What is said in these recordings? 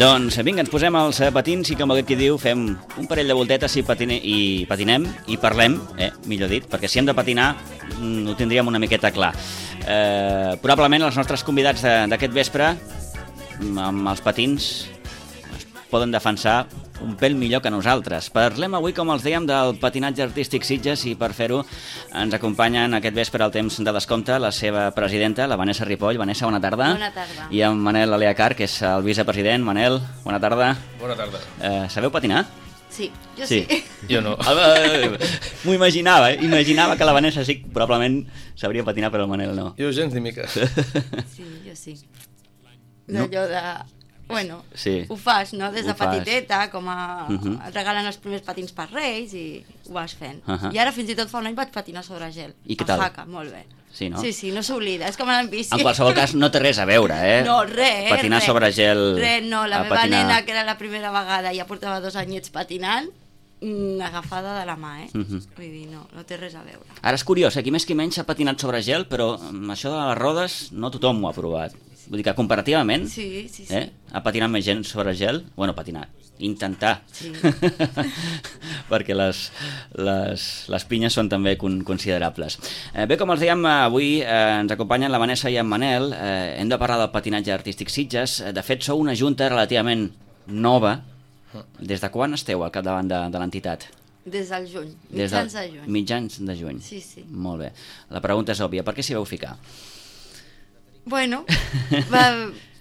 Doncs vinga, ens posem els patins i com aquest qui diu fem un parell de voltetes i patinem i parlem, millor dit, perquè si hem de patinar ho tindríem una miqueta clar. Probablement els nostres convidats d'aquest vespre amb els patins es poden defensar un pèl millor que nosaltres. Parlem avui, com els dèiem, del patinatge artístic Sitges i per fer-ho ens acompanyen aquest vespre al temps de descompte la seva presidenta, la Vanessa Ripoll. Vanessa, bona tarda. Bona tarda. I en Manel Aleacar, que és el vicepresident. Manel, bona tarda. Bona tarda. Sabeu patinar? Sí, jo sí. Jo no. M'ho imaginava, Imaginava que la Vanessa sí, probablement sabria patinar, però el Manel no. Jo gens ni mica. Sí, jo sí. D'allò de... Bueno, sí. Ho fas, no? Des de Ho fas. petiteta, com a... Et regalen els primers patins per Reis i ho vas fent. I ara fins i tot fa un any vaig patinar sobre gel. I què tal? A Jaca, molt bé. Sí, no? Sí, no s'oblida, és com anar en bici. En qualsevol cas, no té res a veure, No, res, patinar sobre gel... Res, no, la meva nena, que era la primera vegada, ja portava 2 anyets patinant, agafada de la mà, Vull dir, no té res a veure. Ara és curiós, qui més qui menys ha patinat sobre gel, però això de les rodes no tothom ho ha provat. Vull dir que comparativament sí. ha patinat més gent sobre gel, bueno, patinar, intentar, sí. perquè les pinyes són també considerables. Bé, com els dèiem, avui ens acompanyen la Vanessa i en Manel. Hem de parlar del patinatge artístic Sitges. De fet, sou una junta relativament nova. Des de quan esteu al capdavant de l'entitat? Des del juny, mitjans de juny. Mitjans de juny. Sí. Molt bé. La pregunta és òbvia, per què s'hi vau ficar? Bueno,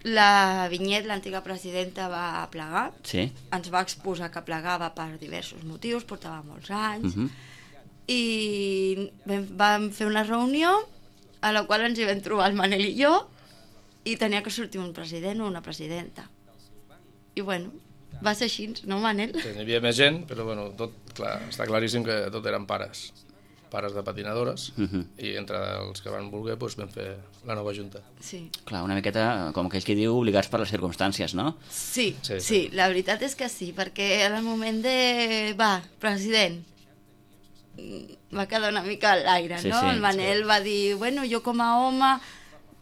la Vinyet, l'antiga presidenta, va plegar. Sí. Ens va exposar que plegava per diversos motius, portava molts anys. I vam fer una reunió a la qual ens hi vam trobar el Manel i jo i tenia que sortir un president o una presidenta. I bueno, va ser així, no, Manel? Sí, n'hi havia més gent, però bueno, tot, clar, està claríssim que tot eren pares de patinadores, i entre els que van voler doncs, vam fer la nova junta. Sí. Clar, una miqueta, com aquell que diu, obligats per les circumstàncies, no? Sí, la veritat és que sí, perquè en el moment de... Va, president, va quedar una mica a l'aire, no? El Manel va dir, bueno, jo com a home,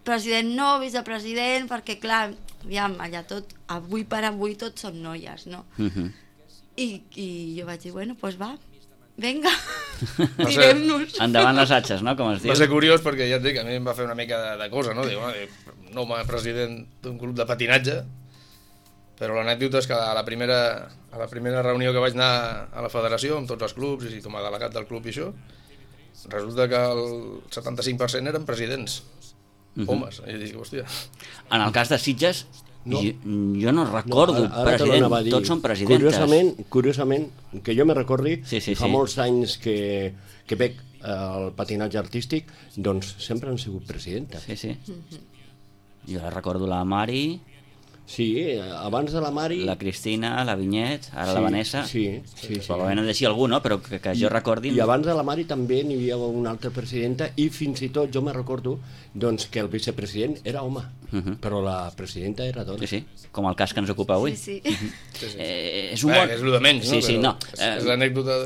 president no, vicepresident, perquè clar, aviam, allà tot, avui per avui tots som noies, no? I jo vaig dir, bueno, doncs va, vinga, tirem-nos. Endavant les atxes, no?, com es diu. Va ser curiós perquè ja et dic, a mi em va fer una mica de cosa, no? Diu, un home president d'un club de patinatge, però l'anècdota és que a la primera reunió que vaig anar a la federació amb tots els clubs i com a delegat del club i això, resulta que el 75% eren presidents, homes. I dic, hòstia... En el cas de Sitges, jo no recordo president, tots són presidentes. Curiosament, que jo me recordi, fa molts anys que veig el patinatge artístic, doncs sempre han sigut presidentes. Sí. Jo recordo la Mari... Sí, abans de la Mari... La Cristina, la Vinyet, ara la Vanessa... Sí. Probablement en deixi algú, no? Però que jo recordi... I abans de la Mari també n'hi havia una altra presidenta i fins i tot jo me recordo doncs, que el vicepresident era home, però la presidenta era dona. Sí, com el cas que ens ocupa avui. Sí. És un món... És el de menys, no? Sí, no. És l'anècdota...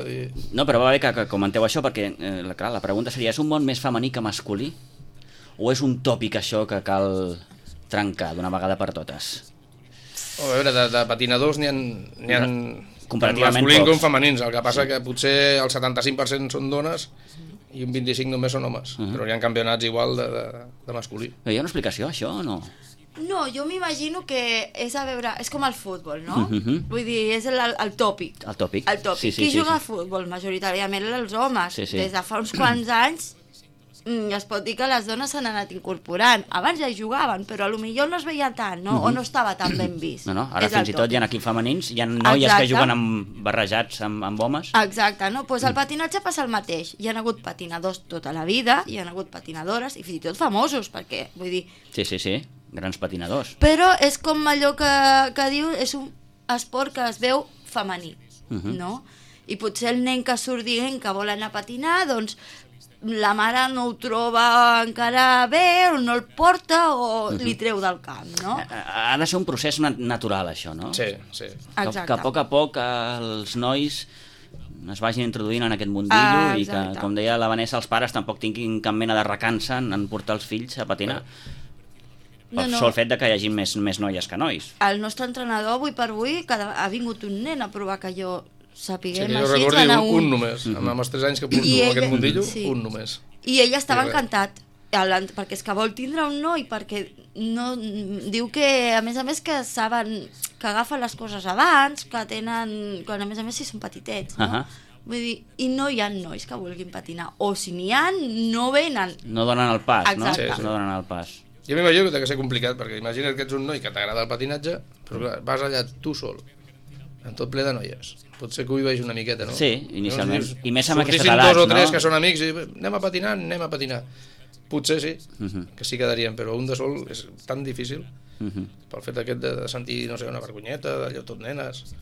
No, però va bé que comenteu això, perquè clar, la pregunta seria, és un món més femení que masculí? O és un tòpic això que cal trencar d'una vegada per totes? A veure, de patinadors n'hi ha comparativament masculins pocs. com femenins, el que passa que potser el 75% són dones i un 25% només són homes, però hi ha campionats igual de masculí. Hi ha una explicació, això, o no? No, jo m'imagino que és a veure, és com el futbol, no? Vull dir, és el tòpic. El tòpic. Qui juga a futbol? Majoritàriament els homes. Des de fa uns quants anys es pot dir que les dones s'han anat incorporant. Abans ja hi jugaven, però potser no es veia tant, no? O no estava tan ben vist. No, ara fins i tot hi ha equips femenins, hi ha noies que juguen barrejats amb homes. Exacte, no? Doncs el patinatge passa el mateix. Hi ha hagut patinadors tota la vida, hi ha hagut patinadores, i fins i tot famosos, perquè, vull dir... Sí, grans patinadors. Però és com allò que diu, és un esport que es veu femení, no? I potser el nen que surt dient que vol anar a patinar, doncs la mare no ho troba encara bé, o no el porta, o li treu del camp, no? Ha de ser un procés natural, això, no? Sí. Exacte. Que a poc els nois es vagin introduint en aquest mundillo i que, com deia la Vanessa, els pares tampoc tinguin cap mena de recança en portar els fills a patinar. pel sol fet de que hi hagi més noies que nois. El nostre entrenador, avui per avui, ha vingut un nen a provar que jo sapiguem jo així, recordi anar un només, amb els 3 anys que porto aquest mundillo, un només. I ell estava encantat, perquè és que vol tindre un noi, perquè no, diu que, a més que saben que agafen les coses abans, que tenen, quan a més si són petitets, no? Vull dir, i no hi ha nois que vulguin patinar, o si n'hi ha, no venen. No donen el pas, exacte. No? No donen el pas. Jo m'imagino que ha de ser complicat, perquè imagina't que ets un noi que t'agrada el patinatge, però clar, vas allà tu sol, en tot ple de noies. Potser que ho hi vegi una miqueta, no? Sí, inicialment. I més amb aquestes edats, no? Sortissin 2 o 3 no? que són amics i anem a patinar. Potser sí, que sí quedarien, però un de sol és tan difícil, pel fet aquest de sentir, no sé, una vergonyeta, d'allò tot nenes.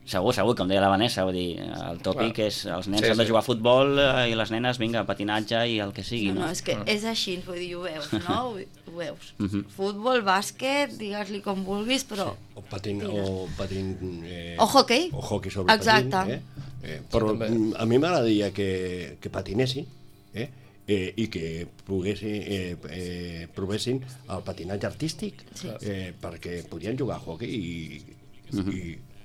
Segur, com deia la Vanessa, vull dir, el tòpic és els nens han de jugar a futbol i les nenes, vinga, patinatge i el que sigui, no? No, és que és així, vull dir, ho veus, no? Ho veus. Futbol, bàsquet, digues-li com vulguis, però... O patín... O hockey. O hockey sobre patín. Però a mi m'agradaria que patinessin, i que provessin el patinatge artístic, perquè podien jugar a hockey i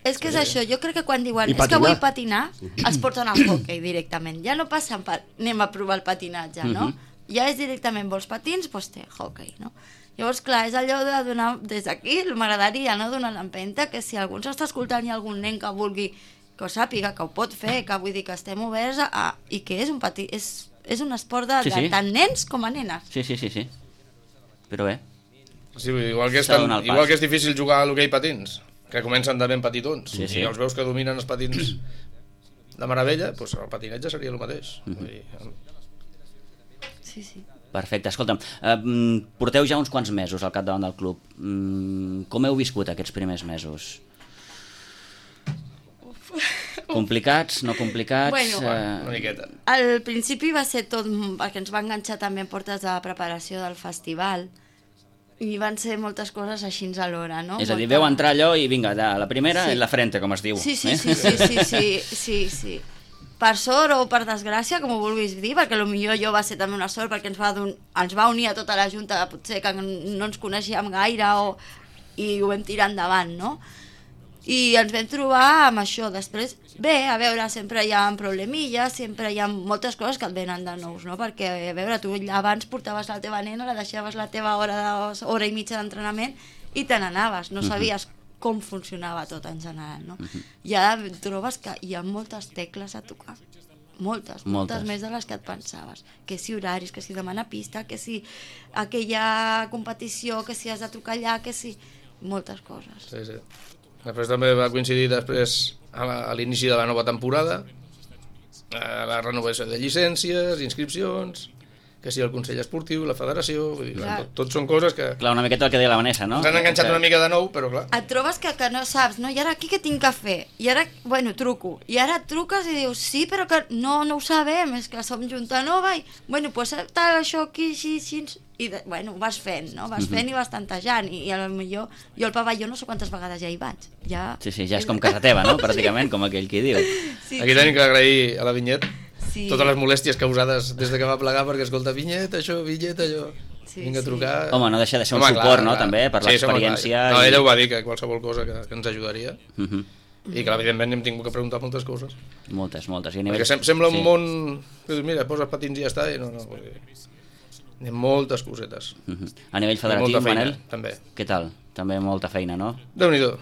és que és això, jo crec que quan diuen és que vull patinar, es porten al hockey directament, ja no passen per anem a provar el patinatge, no? Ja és directament, vols patins? Doncs té hockey, no? Llavors, clar, és allò de donar, des d'aquí m'agradaria, no?, donar l'empenta, que si algú ens està escoltant i algun nen que vulgui, que ho sàpiga, que ho pot fer, que vull dir que estem oberts i que és un és un esport de tant nens com a nenes. Sí. Però bé. Sí, igual que és difícil jugar a l'hoquei patins, que comencen de ben petitons, i els veus que dominen els patins de meravella, doncs el patinatge seria el mateix. Sí. Perfecte, escolta'm, porteu ja uns quants mesos al capdavant del club. Com heu viscut aquests primers mesos? Complicats, no complicats? Bueno, una miqueta. Al principi va ser tot, perquè ens va enganxar també en portes de preparació del festival, i van ser moltes coses així alhora, no? És a dir, veu entrar allò i vinga, la primera en la frente, com es diu. Sí. Per sort o per desgràcia, com ho vulguis dir, perquè potser jo va ser també una sort, perquè ens va unir a tota la junta, potser que no ens coneixíem gaire, i ho vam tirar endavant, no? I ens vam trobar amb això. Després, bé, a veure, sempre hi ha problemilles, sempre hi ha moltes coses que et venen de nous, no? Perquè, a veure, tu abans portaves la teva nena, la deixaves la teva hora i mitja d'entrenament i te n'anaves, no sabies com funcionava tot en general, no? I ara trobes que hi ha moltes tecles a tocar, moltes més de les que et pensaves, que si horaris, que si demanar pista, que si aquella competició, que si has de trucar allà, que si... moltes coses. Sí. Després també va coincidir a l'inici de la nova temporada, la renovació de llicències, inscripcions, que si el Consell Esportiu, la Federació, vull dir, tot són coses que... Clar, una miqueta el que deia la Vanessa, no? Ens han enganxat una mica de nou, però clar... Et trobes que no saps, no? I ara aquí què tinc que fer? I ara, bueno, truco. I ara et truques i dius, sí, però que no ho sabem, és que som junta nova i, bueno, doncs tal, això aquí, així... I, bueno, vas fent, no? Vas fent i vas tantejant i potser jo al pavelló no sé quantes vegades ja hi vaig. Sí, ja és com casa teva, no? Pràcticament, com aquell qui diu. Aquí tenim que agrair a la Vinyet totes les molèsties causades des que va plegar, perquè escolta, Vinyet, això, vinga a trucar... Home, no deixa de ser un suport, no?, també, per l'experiència... No, ella ho va dir, que qualsevol cosa que ens ajudaria, i que evidentment hem tingut que preguntar moltes coses. Moltes. Perquè sembla un món... Mira, poses patins i ja està, i no... N'hi ha moltes cosetes. A nivell federatiu, Manel? També. Què tal? També molta feina, no? Déu-n'hi-do.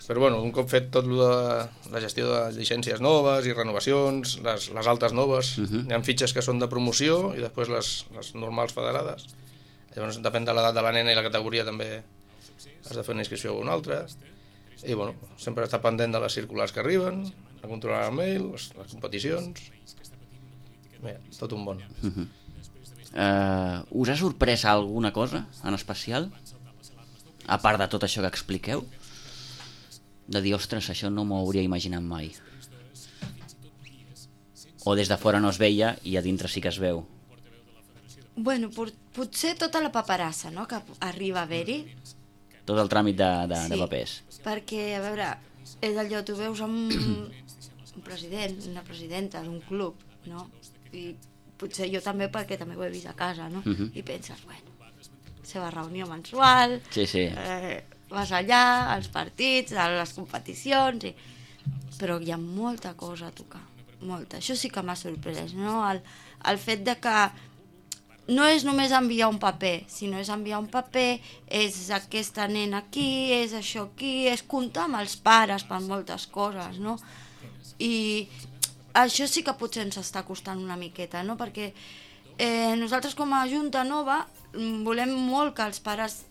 Però bueno, un cop fet tot de la gestió de llicències noves i renovacions, les altes noves, hi ha fitxes que són de promoció i després les normals federades. Llavors, depèn de l'edat de la nena i la categoria, també has de fer una inscripció o una altra. I bueno, sempre estar pendent de les circulars que arriben, a controlar el mail, les competicions... Bé, tot un bon. Us ha sorprès alguna cosa en especial? A part de tot això que expliqueu? De dir, ostres, això no m'ho hauria imaginat mai. O des de fora no es veia i a dintre sí que es veu? Bueno, potser tota la paperassa, no?, que arriba a haver-hi. Tot el tràmit de papers. Perquè, a veure, és allò, tu veus un president, una presidenta d'un club, no?, i potser jo també, perquè també ho he vist a casa, no? I penses, bueno, seva reunió mensual, Sí, sí. vas allà, als partits, a les competicions, però hi ha molta cosa a tocar, molta. Això sí que m'ha sorprès, no? El fet de que no és només enviar un paper, sinó és enviar un paper, és aquesta nena aquí, és això aquí, és comptar amb els pares per moltes coses, no? I això sí que potser ens està costant una miqueta, no? Perquè nosaltres com a Junta Nova volem molt que els pares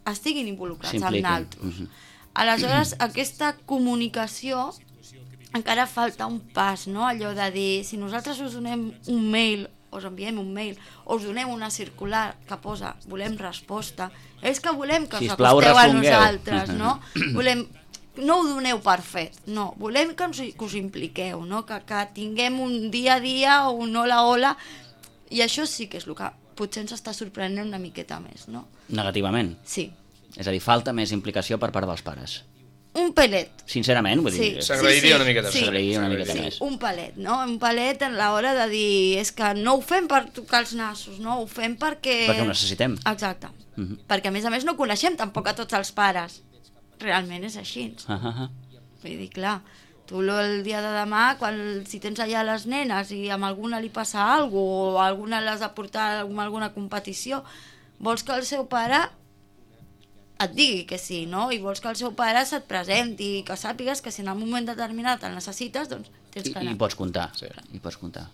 estiguin involucrats amb naltros. Aleshores, aquesta comunicació encara falta un pas, no? Allò de dir, si nosaltres us donem un mail, us enviem un mail, o us donem una circular que posa volem resposta, és que volem que us acosteu a nosaltres, no? No ho doneu per fet, no, volem que us impliqueu, no? Que tinguem un dia a dia o un hola, i això sí que és el que potser ens està sorprenent una miqueta més, no? Negativament? Sí. És a dir, falta més implicació per part dels pares. Un pelet. Sincerament, vull dir... S'agrairia una miqueta. S'agrairia una miqueta més. Un pelet, no? Un pelet en l'hora de dir... És que no ho fem per tocar els nassos, no? Ho fem perquè... Perquè ho necessitem. Exacte. Perquè, a més, no coneixem tampoc a tots els pares. Realment és així. Vull dir, clar, tu el dia de demà, si tens allà les nenes i amb alguna li passa alguna cosa, o alguna l'has de portar a alguna competició, vols que el seu pare et digui que sí, no? I vols que el seu pare se't presenti, que sàpigues que si en un moment determinat el necessites, doncs tens que anar. I pots comptar, sí. I pots comptar.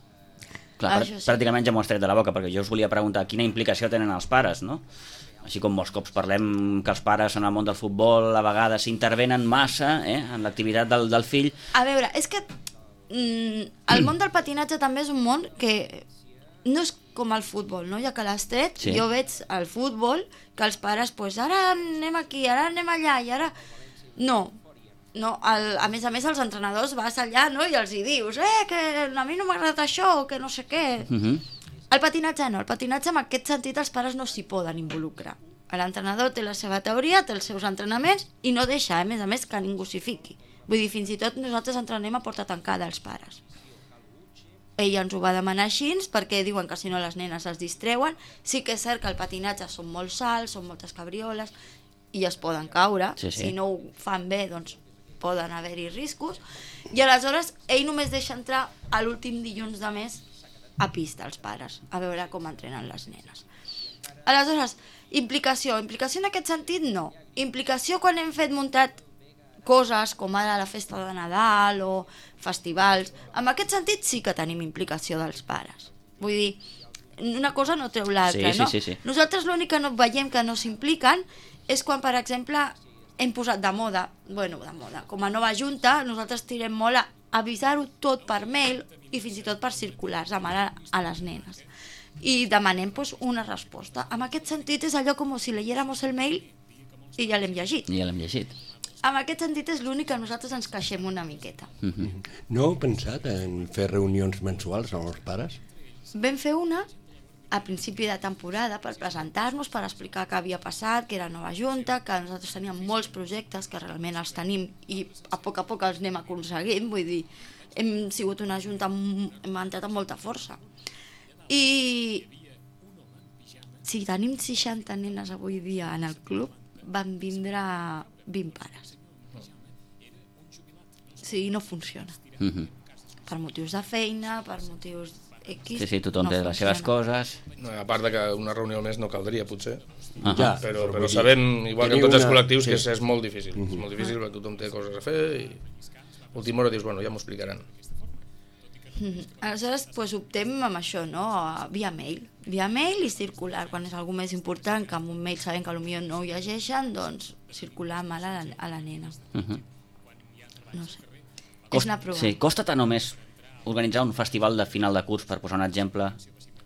Clar, pràcticament ja m'ho has tret de la boca, perquè jo us volia preguntar quina implicació tenen els pares, no? Així com molts cops parlem que els pares en el món del futbol a vegades intervenen massa en l'activitat del fill. A veure, és que el món del patinatge també és un món que no és com el futbol, no? Ja que l'has tret, sí. Jo veig al futbol que els pares, pues, ara anem aquí, ara anem allà, i ara... No, a més, els entrenadors vas allà, no?, i els hi dius, que a mi no m'ha agradat això, que no sé què... El patinatge no, el patinatge en aquest sentit els pares no s'hi poden involucrar. L'entrenador té la seva teoria, té els seus entrenaments i no deixa, a més, que ningú s'hi fiqui. Vull dir, fins i tot nosaltres entrenem a porta tancada els pares. Ella ens ho va demanar així perquè diuen que si no les nenes es distreuen. Sí que és cert que el patinatge són molts salts, són moltes cabrioles i es poden caure. Sí. Si no ho fan bé, doncs poden haver-hi riscos. I aleshores ell només deixa entrar a l'últim dilluns de mes a pista els pares, a veure com entrenen les nenes. Aleshores, implicació en aquest sentit no. Implicació quan hem muntat coses com ara la festa de Nadal o festivals, en aquest sentit sí que tenim implicació dels pares. Vull dir, una cosa no treu l'altra, no? Sí. Nosaltres l'únic que no veiem que no s'impliquen és quan, per exemple, hem posat de moda, com a nova junta, nosaltres tirem molt a avisar-ho tot per mail i fins i tot per circulars, a les nenes. I demanem una resposta. En aquest sentit és allò com si leyéramos el mail i ja l'hem llegit. En aquest sentit és l'únic que nosaltres ens queixem una miqueta. No heu pensat en fer reunions mensuals amb els pares? Vam fer una a principi de temporada per presentar-nos, per explicar què havia passat, que era nova junta, que nosaltres teníem molts projectes, que realment els tenim i a poc els anem aconseguint, vull dir, hem sigut una junta, hem entrat amb molta força. I si tenim 60 nenes avui dia en el club, van vindre 20 pares. Sí, no funciona. Per motius de feina, per motius X... Sí, tothom té les seves coses. A part de que una reunió al mes no caldria, potser. Ja, però sabem, igual que en tots els col·lectius, que és molt difícil. És molt difícil perquè tothom té coses a fer i a última hora dius, ja m'ho explicaran. Aleshores, optem amb això, no? Via mail i circular. Quan és algú més important, que amb un mail sabem que potser no ho llegeixen, doncs circular mal a la nena. No sé. És anar provant. Sí, costa tant o més organitzar un festival de final de curs, per posar un exemple,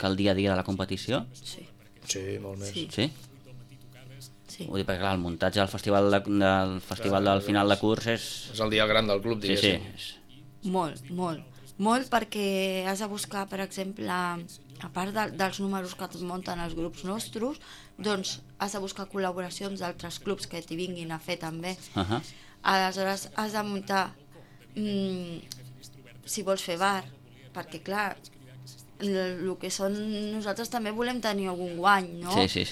que el dia a dia de la competició? Sí. Sí, molt més. Sí? Sí. Vull dir, perquè clar, el muntatge del festival del final de curs és el dia gran del club, diguéssim. Sí. Molt, perquè has de buscar, per exemple, a part dels números que et munten els grups nostres, doncs has de buscar col·laboracions d'altres clubs que t'hi vinguin a fer també. Aleshores has de muntar, si vols fer bar, perquè clar, el que són, nosaltres també volem tenir algun guany, no? Sí.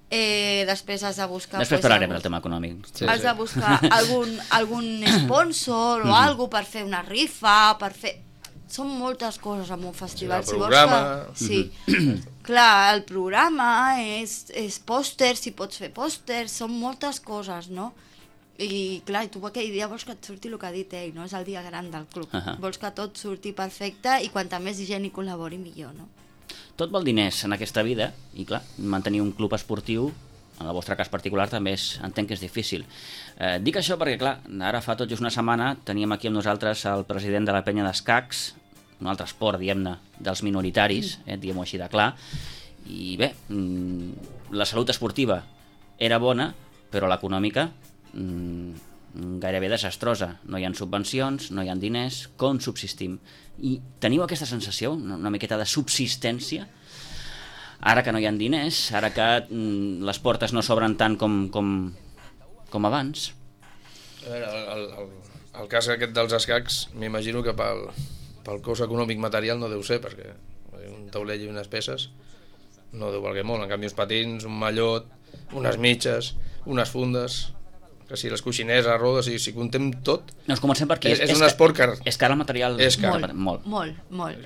Després has de buscar... Després parlarem del tema econòmic. Has de buscar algun sponsor o alguna per fer una rifa, per fer... Són moltes coses en un festival. Sí, el programa... Sí, clar, el programa és pòsters, si pots fer pòsters, són moltes coses, no? I clar, tu aquell dia vols que et surti el que ha dit ell, no? És el dia gran del club. Vols que tot surti perfecte i quanta més gent hi col·labori millor, no? Tot vol diners en aquesta vida i clar, mantenir un club esportiu en el vostre cas particular també entenc que és difícil. Dic això perquè, clar, ara fa tot just una setmana teníem aquí amb nosaltres el president de la penya d'escacs, un altre esport, diguem-ne, dels minoritaris, diguem-ho així de clar, i bé, la salut esportiva era bona, però l'econòmica gairebé desastrosa. No hi ha subvencions, no hi ha diners, com subsistim? I teniu aquesta sensació, una miqueta de subsistència, ara que no hi ha diners, ara que les portes no s'obren tant com abans? A veure, el cas aquest dels escacs, m'imagino que pel cost econòmic material no deu ser, perquè un taulell i unes peces no deu valer molt. En canvi, uns patins, un mallot, unes mitges, unes fundes, que si les coixiners, a rodes, si contem tot... Doncs comencem per aquí. És un esport car. És car el material? És car. Molt.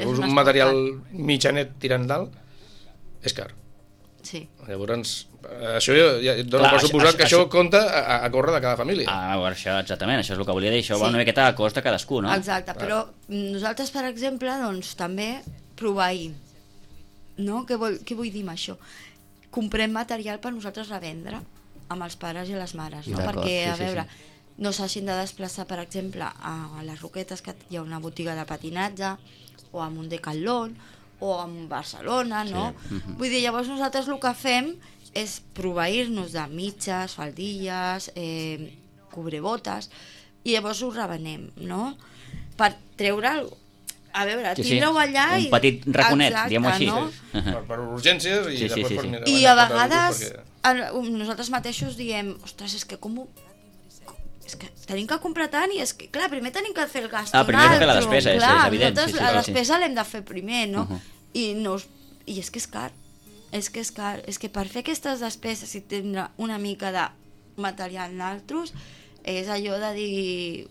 És un material mitjanet tirant dalt, és car. Sí. Llavors, això ja dona per suposat que això compta a córrer de cada família. Això, exactament, això és el que volia dir, això va una miqueta a cost de cadascú, no? Exacte, però nosaltres, per exemple, doncs també proveïm, no? Què vull dir amb això? Comprem material per nosaltres revendre amb els pares i les mares, no? Perquè, a veure, no s'hagin de desplaçar, per exemple, a les Roquetes, que hi ha una botiga de patinatge, o a un Decathlon, o a Barcelona, no? Vull dir, llavors nosaltres el que fem és proveir-nos de mitges, faldilles, cobrebotes, i llavors ho revenem, no? Per treure'l, a veure, tindre-ho allà... Un petit raconet, diguem-ho així. No? Per urgències i després per mirar... I a vegades nosaltres mateixos diem, ostres, és que com ho... És que tenim que comprar tant i és que, clar, primer tenim que fer el gast. Primer hem de fer la despesa, és evident. Nosaltres la despesa l'hem de fer primer, no? I és que és car. És que per fer aquestes despeses i tindre una mica de material naltros és allò de dir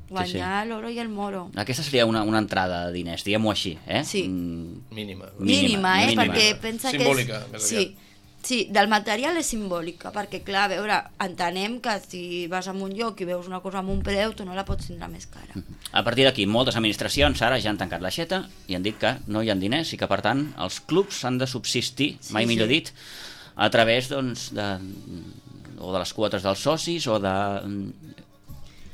guanyar l'oro i el moro. Aquesta seria una entrada de diners, diguem-ho així, eh? Sí. Mínima, perquè pensa que és... Simbòlica, més aviat. Sí, del material és simbòlica, perquè clar, a veure, entenem que si vas a un lloc i veus una cosa amb un preu, tu no la pots tindre més cara. A partir d'aquí, moltes administracions ara ja han tancat l'aixeta i han dit que no hi ha diners i que, per tant, els clubs han de subsistir, mai millor dit, a través, doncs, o de les quotes dels socis o de...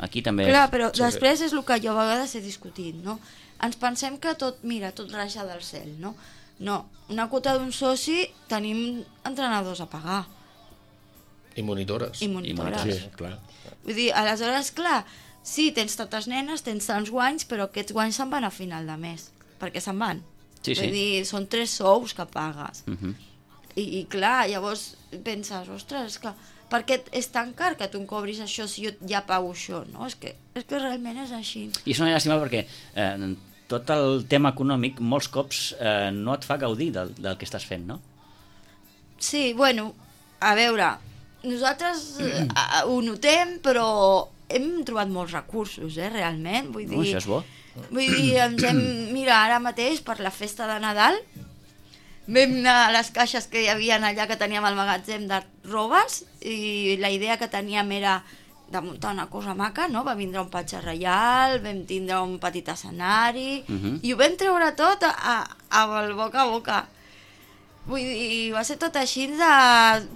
Aquí també... Clar, però després és el que jo a vegades he discutit, no? Ens pensem que tot raja del cel, no? No, una quota d'un soci tenim entrenadors a pagar. I monitores. I monitores. Sí, clar. Vull dir, aleshores, clar, sí, tens tantes nenes, tens tants guanys, però aquests guanys se'n van a final de mes, perquè se'n van. Sí. Vull dir, són 3 sous que pagues. I clar, llavors penses, ostres, és que per què és tan car que tu em cobris això si jo ja pago això, no? És que realment és així. I és una llàstima perquè tot el tema econòmic molts cops no et fa gaudir del que estàs fent, no? Sí, bueno, a veure, nosaltres ho notem, però hem trobat molts recursos, realment. Vull dir, això és bo. Vull dir, mira, ara mateix, per la festa de Nadal, vam anar a les caixes que hi havia allà que teníem al magatzem de robes i la idea que teníem era de muntar una cosa maca, no? Va vindre un patge reial, vam tindre un petit escenari i ho vam treure tot al boca a boca. Vull dir, va ser tot així de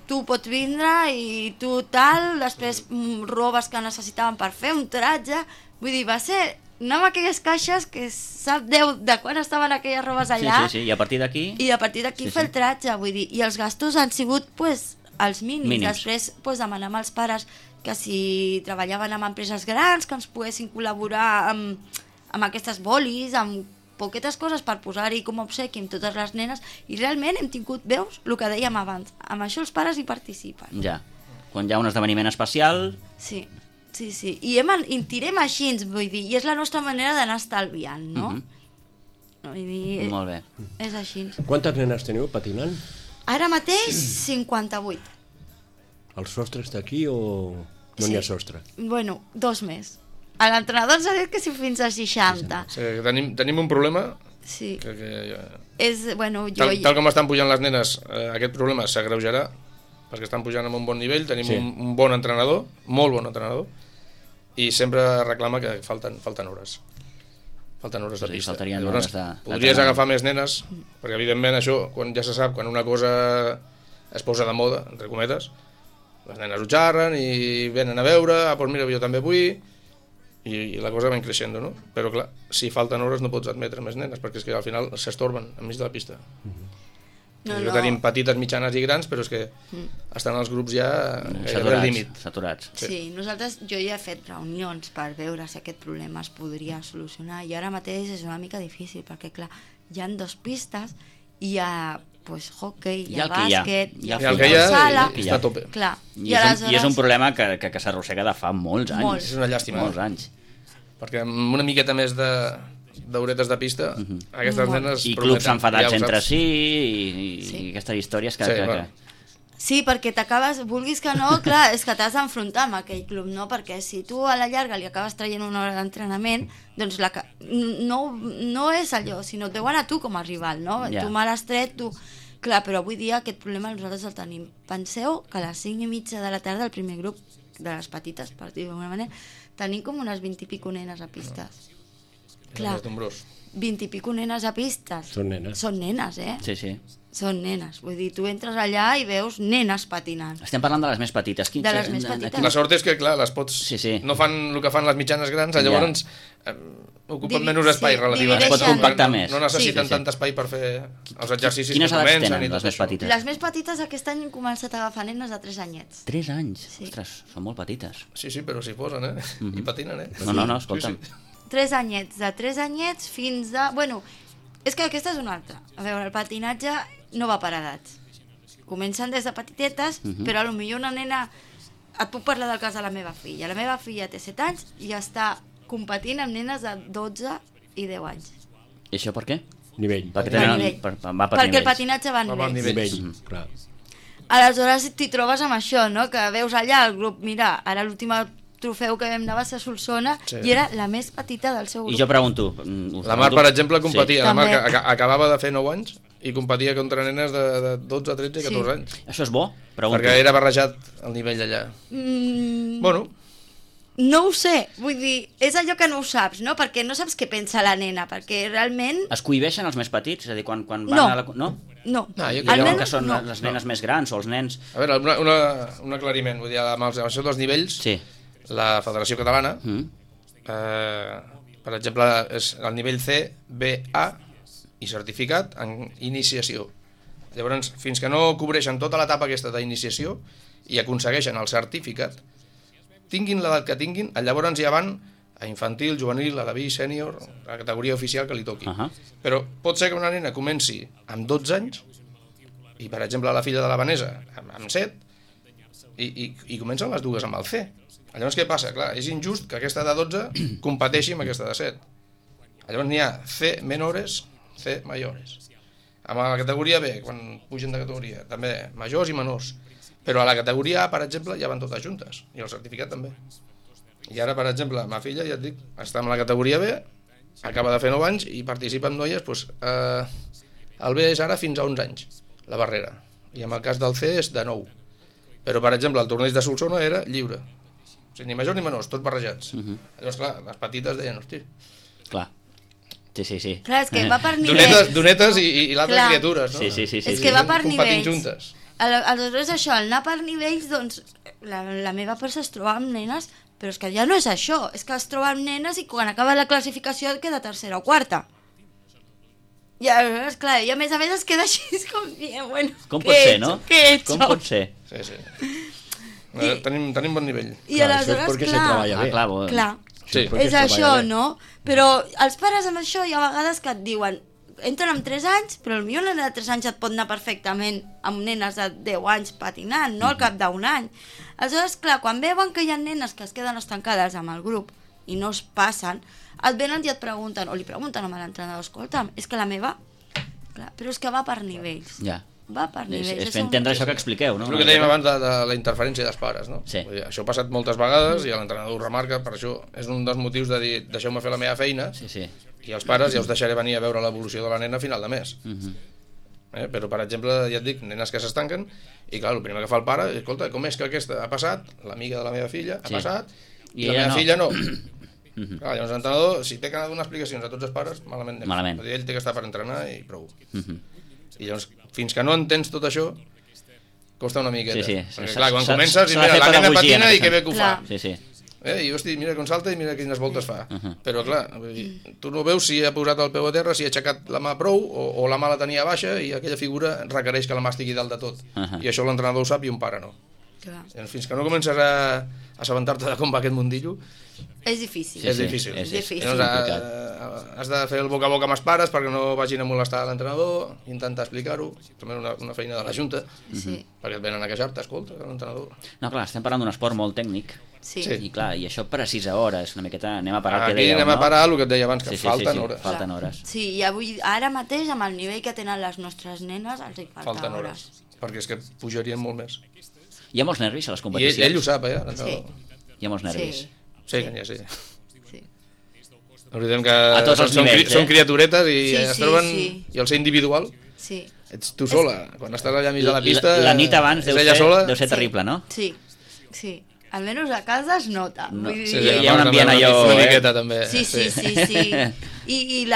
tu pots vindre i tu tal, després robes que necessitaven per fer un tratge, vull dir, va ser... Anem a aquelles caixes que sap Déu de quan estaven aquelles robes allà. Sí, i a partir d'aquí... I a partir d'aquí fer el tratge, vull dir, i els gastos han sigut, pues, els mínims. Després, pues, demanem als pares que si treballaven amb empreses grans, que ens poguessin col·laborar amb aquestes bolis, amb poquetes coses per posar-hi com a obsequi amb totes les nenes, i realment hem tingut, veus, el que dèiem abans, amb això els pares hi participen. Ja, quan hi ha un esdeveniment especial... Sí. I tirem així, vull dir, i és la nostra manera d'anar estalviant, no? Vull dir, molt bé. És així. Quantes nenes teniu patinant? Ara mateix, 58. El sostre està aquí o no n'hi ha sostre? Bueno, 2 més. A l'entrenador ens ha dit que si fins a 60. Sí, tenim un problema Sí. que És, bueno, tal com estan pujant les nenes, aquest problema s'agreujarà perquè estan pujant amb un bon nivell, tenim un bon entrenador, molt bon entrenador, i sempre reclama que falten hores. Falten hores de pista. Llavors, podries agafar més nenes, perquè evidentment això, quan ja se sap, quan una cosa es posa de moda, entre cometes, les nenes ho xerren i venen a veure, doncs mira, jo també vull, i la cosa va creixent, no? Però clar, si falten hores no pots admetre més nenes, perquè és que al final s'estorben enmig de la pista. Tenim petites, mitjanes i grans, però és que estan els grups ja gairebé al límit. Saturats. Sí, jo ja he fet reunions per veure si aquest problema es podria solucionar, i ara mateix és una mica difícil, perquè clar, hi ha 2 pistes, i hi ha hockey, hi ha bàsquet, hi ha sala, està a tope. I és un problema que s'arrossega de fa molts anys. És una llàstima. Molts anys. Perquè amb una miqueta més d'horetes de pista, aquestes nenes i clubs enfadats entre si i aquestes històries que... Sí, perquè t'acabes, vulguis que no, clar, és que t'has d'enfrontar amb aquell club, no? Perquè si tu a la llarga li acabes traient una hora d'entrenament, doncs no és allò, sinó et veuen a tu com a rival, no? Tu me l'has tret, tu... Clar, però avui dia aquest problema nosaltres el tenim. Penseu que a les 5:30 de la tarda el primer grup de les petites, per dir-ho d'alguna manera, tenim com unes 20 i pico nenes a pistes. Clar, 20 i pico nenes a pistes. Són nenes. Són nenes, Sí. Són nenes, vull dir, tu entres allà i veus nenes patinant. Estem parlant de les més petites. De les més petites. La sort és que, clar, les pots... No fan el que fan les mitjanes grans, llavors ocupen menys espai relativament. Es pot compactar més. No necessiten tant espai per fer els exercicis que comencen. Quines edats tenen les més petites? Les més petites aquest any han començat a agafar nenes de 3 anyets. 3 anys? Ostres, són molt petites. Sí, però s'hi posen, i patinen, No, escolta'm. 3 anyets, de 3 anyets fins a... Bueno, és que aquesta és una altra. A veure, el patinatge no va per edats. Comencen des de petitetes, però potser una nena... Et puc parlar del cas de la meva filla. La meva filla té 7 anys i està competint amb nenes de 12 i 10 anys. I això per què? Nivell. Perquè el patinatge va a nivell. Clar. Aleshores t'hi trobes amb això, no? Que veus allà el grup, mira, ara l'últim trofeu que vam anar va ser a Solsona i era la més petita del seu grup. I jo pregunto... La Mar, per exemple, competia. La Mar acabava de fer 9 anys i competia contra nenes de 12, 13 i 14 anys. Això és bo? Pregunto. Perquè era barrejat el nivell allà. Bueno... No ho sé, vull dir, és allò que no ho saps, no? Perquè no saps què pensa la nena, perquè realment... Es cohibeixen els més petits? És a dir, quan van a la... No? No. Que són les nenes més grans o els nens... A veure, un aclariment, vull dir, amb això dels nivells, la Federació Catalana, per exemple, és el nivell C, B, A i certificat en iniciació. Llavors, fins que no cobreixen tota l'etapa aquesta d'iniciació i aconsegueixen el certificat, tinguin l'edat que tinguin, llavors ja van a infantil, juvenil, a la B, sènior, a la categoria oficial que li toqui. Però pot ser que una nena comenci amb 12 anys i, per exemple, la filla de la Vanessa amb 7 i comencen les dues amb el C. Llavors què passa? Clar, és injust que aquesta de 12 competeixi amb aquesta de 7. Llavors n'hi ha C menores, C mayores. Amb la categoria B, quan pugen de categoria, també majors i menors. Però a la categoria A, per exemple, ja van totes juntes, i el certificat també. I ara, per exemple, ma filla, ja et dic, està en la categoria B, acaba de fer 9 anys i participa amb noies, doncs, el B és ara fins a 11 anys, la barrera. I en el cas del C és de 9. Però, per exemple, el torneig de Solsona era lliure. O sigui, ni majors ni menors, tots barrejats. Llavors, clar, les petites deien, hosti... Clar. Sí. Clar, és que va per nivells. Donetes i l'altre criatures, no? Sí. És que va per nivells. Competint juntes. Aleshores, això, al anar per nivells, doncs, la meva persa es troba amb nenes, però és que ja no és això, és que es troba amb nenes i quan acaba la classificació et queda tercera o quarta. I aleshores, clar, i a més es queda així com dient, bueno, com pot ser, no? Què he hecho? Com pot ser? Sí. Tenim bon nivell. I aleshores, clar, és això, no? Però els pares amb això hi ha vegades que et diuen entren amb 3 anys, però potser una nena de 3 anys et pot anar perfectament amb nenes de 10 anys patinant, no? Al cap d'un any. Aleshores, clar, quan veuen que hi ha nenes que es queden estancades amb el grup i no es passen, et venen i et pregunten, o li pregunten a l'entrenador, escolta'm, és que la meva... Clar, però és que va per nivells. Ja. va per nivells. És fer entendre això que expliqueu, no? El que dèiem abans de la interferència dels pares, no? Sí. Vull dir, això ha passat moltes vegades i l'entrenador ho remarca, per això és un dels motius de dir deixeu-me fer la meva feina i els pares ja us deixaré venir a veure l'evolució de la nena a final de mes. Però, per exemple, ja et dic, nenes que s'estanquen i clar, el primer que fa el pare és, escolta, com és que aquesta ha passat, l'amiga de la meva filla ha passat i la meva filla no. Clar, llavors l'entrenador, si té que anar a donar explicacions a tots els pares, malament. Ell té que estar per entrenar i prou. I llavors, fins que no entens tot això, costa una miqueta. Perquè clar, quan comences, i mira, la nena patina i que bé que ho fa. I hosti, mira com salta i mira quines voltes fa. Però clar, tu no veus si ha posat el peu a terra, si ha aixecat la mà prou o la mà la tenia baixa i aquella figura requereix que la mà estigui dalt de tot. I això l'entrenador ho sap i un pare no. Fins que no comences a assabentar-te de com va aquest mundillo, és difícil. És complicat. Has de fer el boca a boca amb els pares perquè no vagin a molestar l'entrenador, intentar explicar-ho, també una feina de la Junta, perquè et venen a queixar-te, escolta, l'entrenador. No, clar, estem parlant d'un esport molt tècnic, i clar, i això precisa hores, una miqueta, anem a parar el que dèieu, no? Aquí anem a parar el que et deia abans, que falten hores. Falten hores. Sí, i avui, ara mateix, amb el nivell que tenen les nostres nenes, els hi falten hores. Perquè és que pujarien molt més. Hi ha molts nervis a les competicions. I ell ho sap, l'entrenador. Hi ha molts nervis. Sí. No oblidem que són criaturetes i es troben, i el ser individual, ets tu sola, quan estàs allà mig de la pista, la nit abans deu ser terrible, no? Sí, almenys a casa es nota. Hi ha un ambient allò... Una miqueta també. Sí. I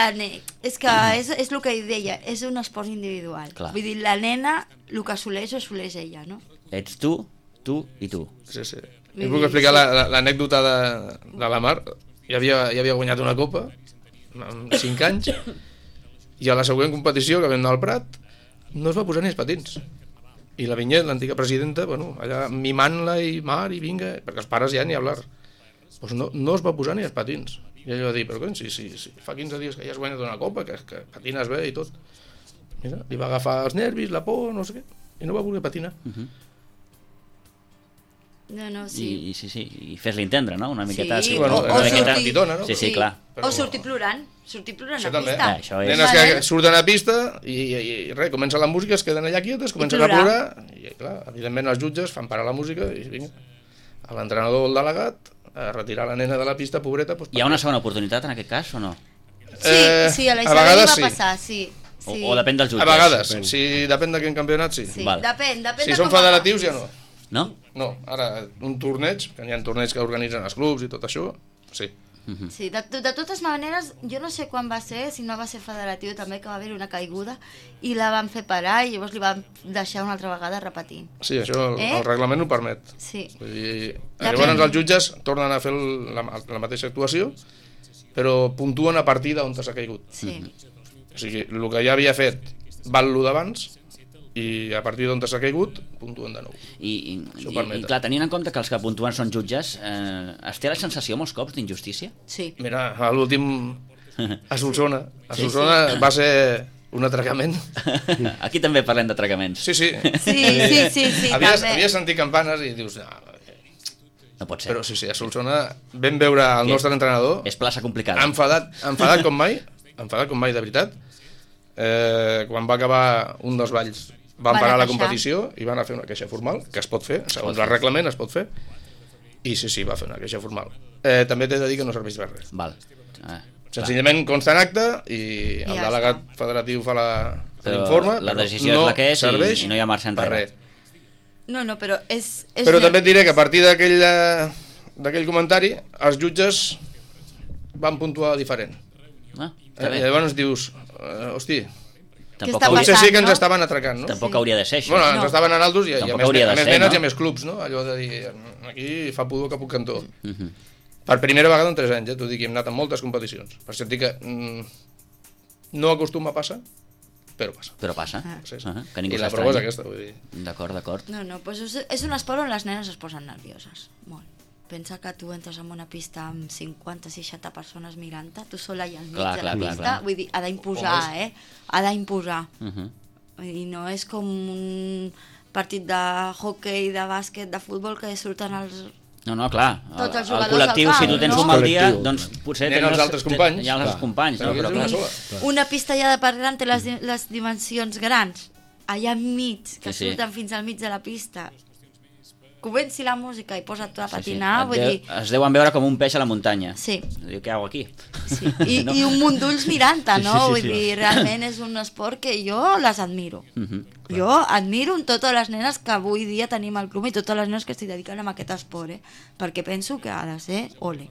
és que és el que ell deia, és un esport individual. Vull dir, la nena, el que assoleix, ho assoleix ella, no? Ets tu i tu. Sí. Jo puc explicar l'anècdota de la Mar. Ja havia guanyat una copa amb 5 anys i a la següent competició que vam anar al Prat no es va posar ni els patins i la Vinyet, l'antiga presidenta, allà mimant-la i Mar i vinga, perquè els pares ja ni hablar, doncs no es va posar ni els patins i ell va dir, però com, si fa 15 dies que ja has guanyat una copa, que patines bé i tot. Mira, li va agafar els nervis, la por, no sé què, i no va voler patinar. I fes-li entendre, no? Una miqueta... Sí, Sí, clar. O sortir plorant a pista. Nenes que surten a pista i res, comença la música, es queden allà quietes, comencen a plorar i clar, evidentment els jutges fan parar la música i vinga, a l'entrenador o el delegat a retirar la nena de la pista, pobreta. Hi ha una segona oportunitat en aquest cas o no? Sí, a la Isabel va passar, sí. O depèn dels jutges? A vegades, si depèn de quin campionat, sí. Depèn si són federatius ja no. No? No, ara un torneig, que hi ha torneigs que organitzen els clubs i tot això, sí. Sí, de totes maneres, jo no sé quan va ser, si no va ser federatiu també, que va haver una caiguda i la van fer parar i llavors li van deixar una altra vegada repetint. Sí, això el reglament ho permet. Sí. Llavors els jutges tornen a fer la mateixa actuació, però puntuen a partir d'on s'ha caigut. Sí. O sigui, el que ja havia fet val lo d'abans, i a partir d'on s'ha caigut, puntuen de nou. I clar, tenint en compte que els que puntuen són jutges, es té la sensació molts cops d'injustícia? Sí. Mira, a l'últim a Solsona va ser un atracament. Aquí també parlem d'atracaments. Sí. Havia sentit campanes i dius... No pot ser. Però sí, a Solsona vam veure el nostre entrenador... És plaça complicada. Enfadat com mai, de veritat. Quan va acabar un dels balls van parar la competició i van a fer una queixa formal, que es pot fer, segons el reglament es pot fer, i sí, va fer una queixa formal. També t'he de dir que no serveix per res. Senzillament consta en acte i el delegat federatiu fa l'informe, la decisió és la que és i no hi ha marxa enrere. No, però és... Però també et diré que a partir d'aquell comentari els jutges van puntuar diferent. Llavors dius, hosti, potser sí que ens estaven atracant, no? Tampoc hauria de ser això. Bueno, ens estaven en altos i a més nenes i a més clubs, no? Allò de dir, aquí fa pudor cap un cantó. Per primera vegada en 3 anys, t'ho dic, hem anat a moltes competicions. Per això et dic que no acostuma a passar, però passa. Però passa. I la prova és aquesta, vull dir. D'acord. No, doncs és un esport on les nenes es posen nervioses, molt. Pensa que tu entres en una pista amb 50-60 persones mirant-te, tu sola i al mig de la pista, vull dir, ha d'imposar, ha d'imposar. Vull dir, no és com un partit de hoquei, de bàsquet, de futbol, que surten els... No, clar, el col·lectiu, si tu tens un mal dia, doncs potser tens els altres companys. Hi ha els companys, no? Una pista ja de per gran té les dimensions grans. allà enmig, que Sí, sí. surten fins al mig de la pista, comenci la música i posa't tu a patinar, vull dir... Es deuen veure com un peix a la muntanya. Sí. Diu, què hago aquí? Sí. I un munt d'ulls mirant-te, Sí, no? sí, sí, Vull sí. dir, realment és un esport que jo les admiro. Jo admiro totes les nenes que avui dia tenim al club i totes les nenes que s'hi dediquen a aquest esport, perquè penso que ha de ser ole.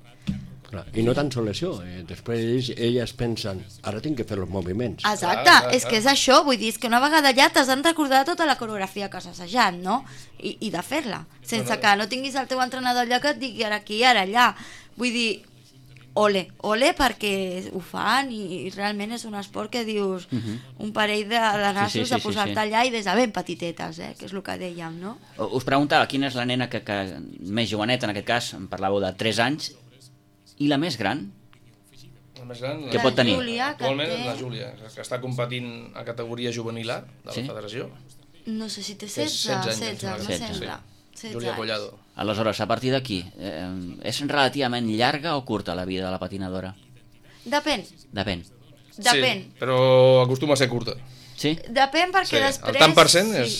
Clar. I no tan sols això, després elles pensen, ara tinc que fer els moviments. Exacte, és que és això, vull dir, és que una vegada allà t'has de recordar tota la coreografia que has assajat, no? I de fer-la, sense que no tinguis el teu entrenador allà que et digui ara aquí, ara allà. Vull dir, ole perquè ho fan i realment és un esport que dius un parell de nassos de posar-te allà i des de ben petitetes, que és el que dèiem, no? Us preguntava quina és la nena que més joveneta, en aquest cas, em parlàveu de 3 anys, i la més gran? La més gran, Què pot tenir? Júlia, que actualment té... és la Júlia, que està competint a categoria juvenil A de la federació. No sé si té Té 16, 16 16, anys, me 16, sembla. 16 Júlia anys. Collado. Aleshores, a partir d'aquí, és relativament llarga o curta la vida de la patinadora? Depèn, Depèn. depèn. Sí, però acostuma a ser curta. Sí? Depèn perquè Sí, el després... tant per cent és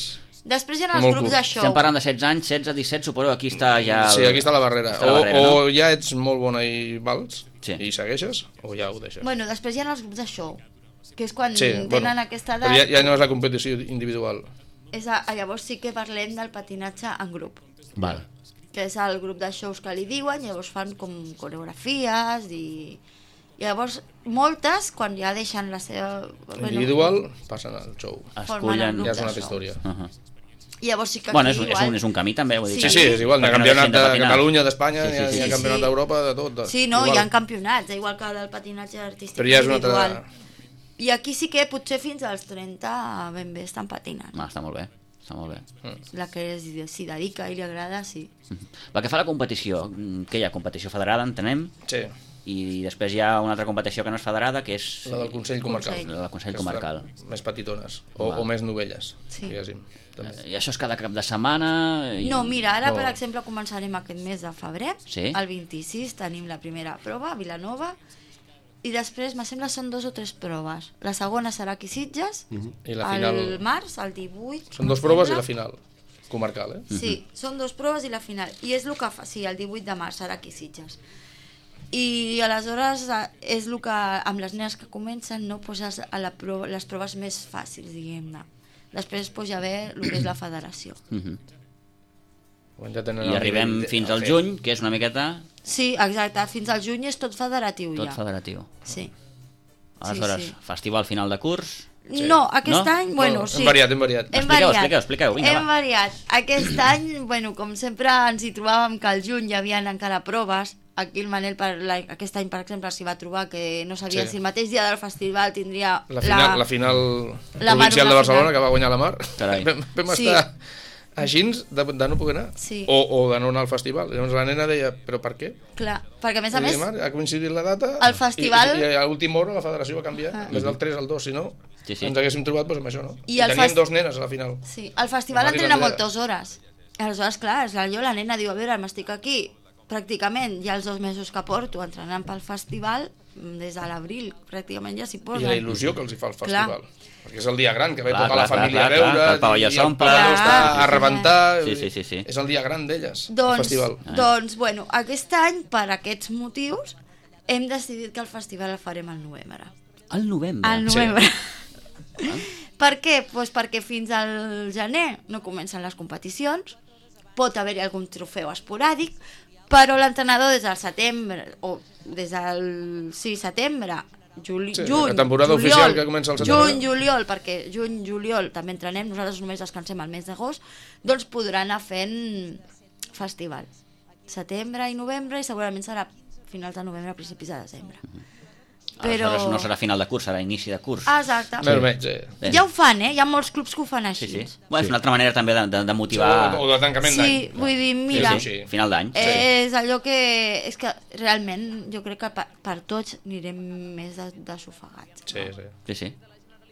Després hi ha els molt grups curt. de show. Estem parlant de 16 anys, 16, 17, suposo que aquí està ja... Sí, aquí està la barrera. Està la barrera, o ja ets molt bona i vals, Sí. i segueixes, o ja ho deixes. Bueno, després hi ha els grups de show, que és quan Sí, tenen aquesta edat. però ja no és la competició individual. Llavors sí que parlem del patinatge en grup, Val. que és el grup de shows que li diuen, llavors fan com coreografies i llavors moltes, quan ja deixen la seva... Individual, passen al show. formen el Escullen... grup Ja és de una altra show. història. Llavors sí que Bueno, aquí igual... és un camí també, vull dir. Sí, sí, és igual, hi ha Perquè no campionat deixin de de patinar. Catalunya, d'Espanya, Sí, sí, sí, hi ha sí. campionat d'Europa, de tot. Sí, no, igual. hi ha campionats, igual que del patinatge artístic Però ja és una individual. altra... I aquí sí que potser fins als 30 ben bé estan patinant. Està molt bé, està molt bé. La que s'hi dedica i li agrada, sí. Pel que fa a la competició, què hi ha? Competició federada, entenem, Sí, i després hi ha una altra competició que no és federada, que és la del Consell Comarcal. Consell. la del Consell Que és Comarcal. Més petitones, o més novelles, Sí. diguéssim. També. I això és cada cap de setmana? No, mira, ara No. per exemple començarem aquest mes de febrer, Sí. el 26 tenim la primera prova a Vilanova i després, me sembla, són 2 o 3 proves. La segona serà aquí a Sitges, I la final... al març, el 18. Són 2 proves i la final, comarcal, Sí, són 2 proves i la final. I és el que fa, sí, el 18 de març serà aquí a Sitges. I aleshores és el que, amb les nenes que comencen, no poses a les proves més fàcils, diguem-ne. Després ja ve el que és la federació. Ja tenen I arribem fins al juny, que és una miqueta Sí, exacte, fins al juny és tot federatiu tot ja. federatiu. Sí. Aleshores, sí. festival final de curs... No, aquest No? any, bueno, No, sí. hem variat, hem variat. Hem Expliqueu, variat. expliqueu, vinga, Hem va. variat. Aquest any, bueno, com sempre ens hi trobàvem que al juny hi havia encara proves. Aquí el Manel aquest any, per exemple, s'hi va trobar que no sabia Sí. si el mateix dia del festival tindria La final la provincial Mar, de la Barcelona, final. que va guanyar la Mar. Carai. Vam Sí. estar així de no poder anar. Sí. O de no anar al festival. Llavors la nena deia, però per què? Clar, perquè a més I dic, Mar, ha coincidit la data el festival- i a l'última hora la federació va canviar. En vez del 3 al 2, si no, Sí, sí. ens haguéssim trobat doncs, amb això, no? I I el teníem fest- 2 nenes a la final. Sí, el festival La Mari entrena García. moltes hores. Aleshores, clar, és allò, la nena diu, a veure, m'estic aquí pràcticament ja els 2 mesos que porto entrenant pel festival, des de l'abril pràcticament ja s'hi I posen. la il·lusió que els hi fa el Clar. festival. Perquè és el dia gran, que ve Clar, tota la clar, família clar, a veure, clar, que el pavelló i s'omple. pavelló està Clar. a rebentar. Sí. És el dia gran d'elles, el Doncs, festival. doncs, bueno, aquest any, per aquests motius, hem decidit que el festival el farem al novembre. Al novembre? Al novembre. Per què? Pues perquè fins al gener no comencen les competicions, pot haver-hi algun trofeu esporàdic, però l'entrenador des del setembre, o des del setembre, juny, la temporada juliol, oficial que comença al setembre. juny, juliol, perquè juny, juliol també entrenem, nosaltres només descansem al mes d'agost, doncs podran anar fent festival. Setembre i novembre, i segurament serà finals de novembre, principis de desembre. Però... Aleshores no serà final de curs, serà inici de curs. Exacte. Més o menys, Bé. Ja ho fan, Hi ha molts clubs que ho fan així. Sí. Bueno, és una altra manera també de motivar O de tancament d'any. Sí, vull dir, mira, Sí. final d'any. és allò que... És que realment jo crec que per tots anirem més desofegats. Sí. Sí.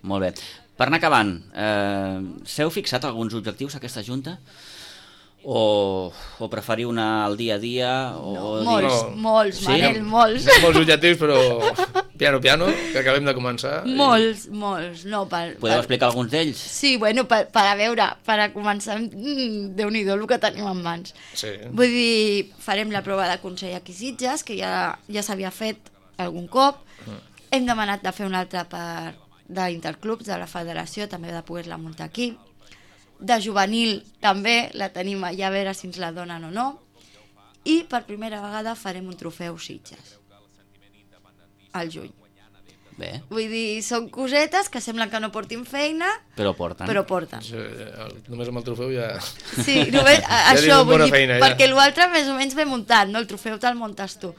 Molt bé. Per anar acabant, s'heu fixat alguns objectius aquesta Junta? o preferiu anar al dia a dia? O molts, Manel, molts. Molts objectius, però piano, que acabem de començar. Molts. No, Podeu explicar alguns d'ells? Sí, bueno, per a començar, Déu-n'hi-do el que tenim en mans. Sí. Vull dir, farem la prova de Consell aquí Sitges, que ja s'havia fet algun cop. Hem demanat de fer una altra d'interclubs de la federació, també de poder-la muntar aquí. De juvenil també la tenim allà a veure si ens la donen o no, i per primera vegada farem un trofeu Sitges al juny. Bé. Vull dir, són cosetes que semblen que no portin feina, però porten. Sí, només amb el trofeu ja... Sí, només això, vull dir, feina, perquè l'altre més o menys ve muntat, no? El trofeu te'l muntes tu.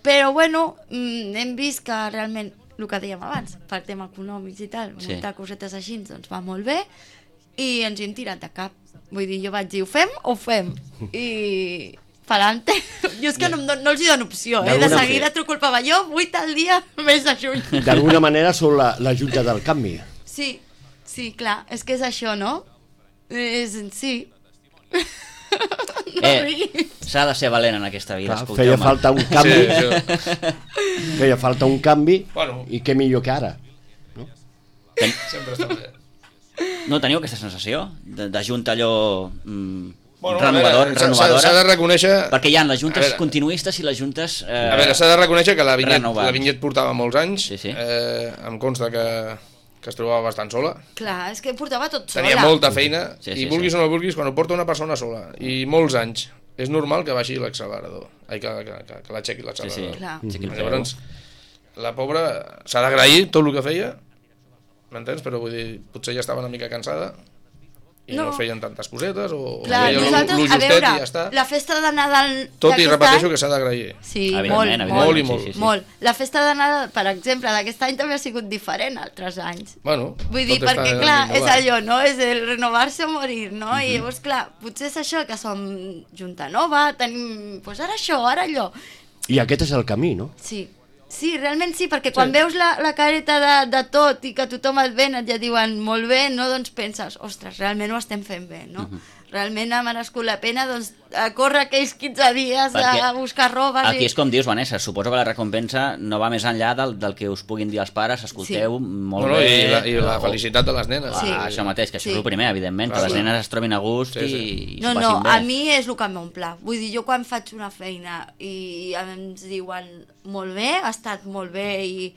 Però bueno, hem vist que realment, el que dèiem abans, per tema econòmics i tal, muntar cosetes així, doncs va molt bé, i ens hi hem tirat de cap. Vull dir, jo vaig dir, ho fem o ho fem? I pa'lante. Jo és que no els hi dono opció, de seguida truco el pavelló, 8 al dia, mes de juny. D'alguna manera sou la junta del canvi. Sí, clar, és que és això, no? Sí. S'ha de ser valent en aquesta vida, feia falta un canvi. Feia falta un canvi, i què millor que ara. Sempre està bé. No teniu aquesta sensació de junta allò renovadora? S'ha de reconèixer... Perquè hi ha les juntes continuistes i les juntes... A veure, s'ha de reconèixer que la Vinyet portava molts anys, em consta que es trobava bastant sola. Clar, és que portava tot sola. Tenia molta feina, i vulguis o no vulguis, quan ho porta una persona sola, i molts anys, és normal que baixi l'accelerador, que l'aixequi l'accelerador. Llavors, la pobra s'ha d'agrair tot el que feia, m'entens? Però vull dir, potser ja estava una mica cansada i no feien tantes cosetes o feien lo justet i ja està. La festa de Nadal tot i repeteixo que s'ha d'agrair. Sí, molt. La festa de Nadal, per exemple, d'aquest any també ha sigut diferent altres anys. Bueno, vull dir, perquè clar, és allò, no? És el renovar-se o morir, no? I llavors, clar, potser és això, que som junta nova, tenim, doncs ara això, ara allò. I aquest és el camí, no? Sí, realment sí, perquè quan veus la careta de tot i que tothom et ven, et ja diuen molt bé, no? Doncs penses, ostres, realment ho estem fent bé, no? Realment ha merescut la pena, doncs, córrer aquells 15 dies a buscar robes... Aquí és com dius, Vanessa, suposo que la recompensa no va més enllà del que us puguin dir els pares, escolteu, molt bé... I la felicitat de les nenes. Això mateix, que això és el primer, evidentment, que les nenes es trobin a gust i s'ho passin bé. No, a mi és el que m'omple. Vull dir, jo quan faig una feina i ens diuen molt bé, ha estat molt bé i...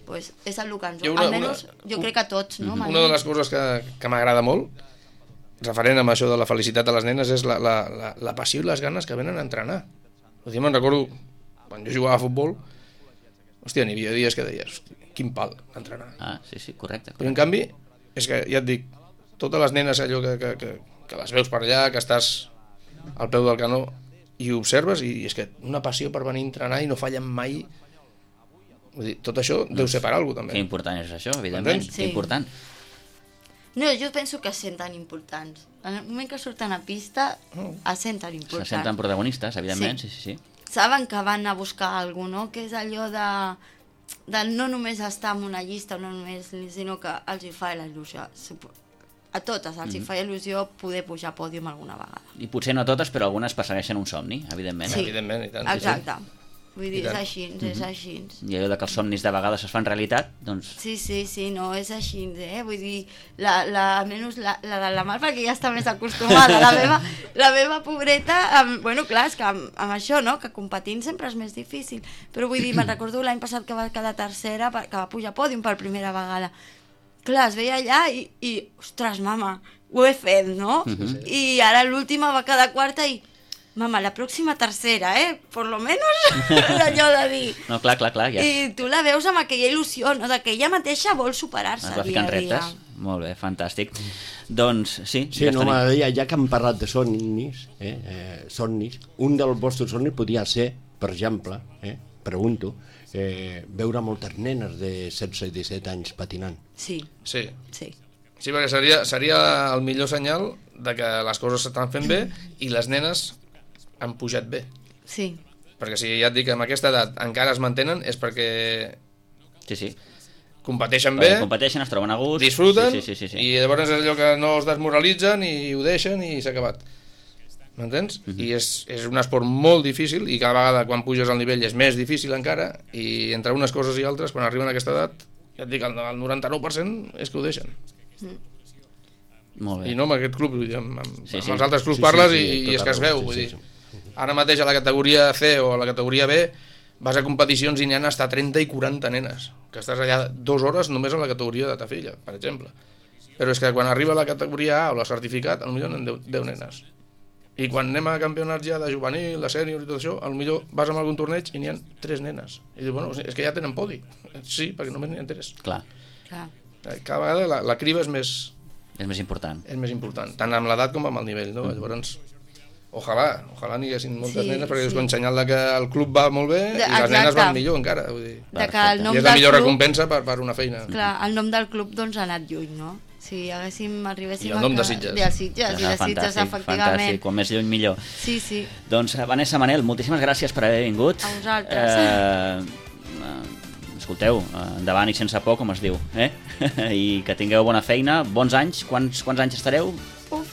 Pues és el que ens... Almenys jo crec que tots, no? Una de les coses que m'agrada molt, referent amb això de la felicitat de les nenes, és la passió i les ganes que venen a entrenar. Me'n recordo, quan jo jugava a futbol, hòstia, n'hi havia dies que deies, quin pal, entrenar. Sí, correcte. Però en canvi, és que ja et dic, totes les nenes allò que les veus per allà, que estàs al peu del canó i ho observes, i és que una passió per venir a entrenar i no fallen mai. Vull dir, tot això deu ser per alguna cosa, també. Que important és això, evidentment, que important. No, jo penso que es senten importants. En el moment que surten a pista, es senten importants. Se senten protagonistes, evidentment, sí. Saben que van a buscar alguna cosa, no? Que és allò de no només estar en una llista, no només, sinó que els hi fa la il·lusió. A totes els hi fa il·lusió poder pujar a pòdium alguna vegada. I potser no a totes, però algunes persegueixen un somni, evidentment. Sí, evidentment, i tant. Exacte. Vull dir, és així, és així. I allò que els somnis de vegades es fan realitat, doncs... Sí, no, és així, Vull dir, almenys la de la Mar, perquè ja està més acostumada. La meva pobreta, bueno, clar, és que amb això, no?, que competint sempre és més difícil. Però vull dir, me'n recordo l'any passat que va quedar tercera, que va pujar a pòdium per primera vegada. Clar, es veia allà i ostres, mama, ho he fet, no? I ara l'última va quedar quarta i... Mama, la pròxima tercera, por lo menos, allò de dir. No, clar, ja. I tu la veus amb aquella il·lusió, no?, que ella mateixa vol superar-se dia a dia. Es va ficant reptes. Molt bé, fantàstic. Doncs sí. Sí, no, m'agradaria, ja que hem parlat de somnis, somnis, un dels vostres somnis podria ser, per exemple, pregunto, veure moltes nenes de 16 i 17 anys patinant. Sí, perquè seria el millor senyal de que les coses s'estan fent bé i les nenes han pujat bé. Sí. Perquè si ja et dic que amb aquesta edat encara es mantenen és perquè competeixen bé, competeixen, es troben a gust, disfruten, sí. I llavors és allò que no es desmoralitzen i ho deixen i s'ha acabat. m'entens? I és un esport molt difícil i cada vegada quan puges al nivell és més difícil encara, i entre unes coses i altres, quan arriben a aquesta edat, ja et dic, el 99% és que ho deixen. Molt bé. I no amb aquest club, amb els altres clubs parles i és que es veu, vull dir. Ara mateix a la categoria C o a la categoria B vas a competicions i n'hi ha hasta 30 i 40 nenes, que estàs allà 2 hores només a la categoria de ta filla, per exemple. Però és que quan arriba la categoria A o la certificat, potser n'hi ha 10 nenes. I quan anem a campionats ja de juvenil, de sènior i tot això, potser vas a algun torneig i n'hi ha 3 nenes. I dius, bueno, és que ja tenen podi. Sí, perquè només n'hi ha 3. Clar. Cada vegada la criba és més important. És més important, tant amb l'edat com amb el nivell, no? Llavors, ojalà n'hi haguessin moltes nenes, perquè és un senyal que el club va molt bé i les nenes van millor encara. Vull dir. I és la millor recompensa per una feina. Clar, el nom del club doncs ha anat lluny, no? Si arribéssim I el nom de Sitges. De Sitges, efectivament. Fantàstic, quan més lluny millor. Sí. Doncs Vanessa, Manel, moltíssimes gràcies per haver vingut. A vosaltres. Escolteu, endavant i sense por, com es diu, i que tingueu bona feina, bons anys. Quants anys estareu?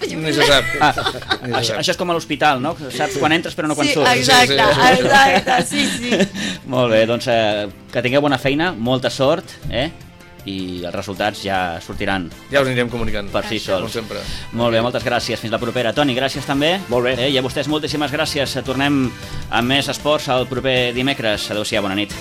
Ni se sap. Això és com a l'hospital, no? Saps quan entres però no quan surts. Exacte, sí. Molt bé, doncs que tingueu bona feina, molta sort, i els resultats ja sortiran. Ja us anirem comunicant. Per si sols. Com sempre. Molt bé, moltes gràcies. Fins la propera. Toni, gràcies també. Molt bé. I a vostès moltíssimes gràcies. Tornem amb més esports el proper dimecres. Adéu-siau, bona nit.